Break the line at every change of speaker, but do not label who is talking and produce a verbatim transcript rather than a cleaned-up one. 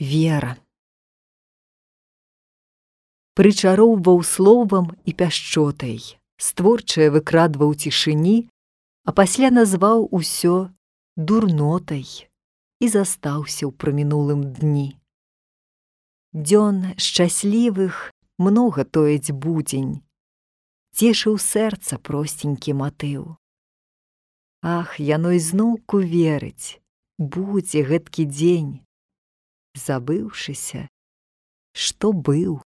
Вера. Прычароўваў словам і пяшчотай, створчае выкрадваў цішыні, а пасля назваў усё дурнотай і застаўся ў прамінулым дні. Дзён шчаслівых многа тоіць будзень, цешыў сэрца просценькі матыў. Ах, яно ізноўку верыць, будзе гэткі дзень, забыўшыся, што быў.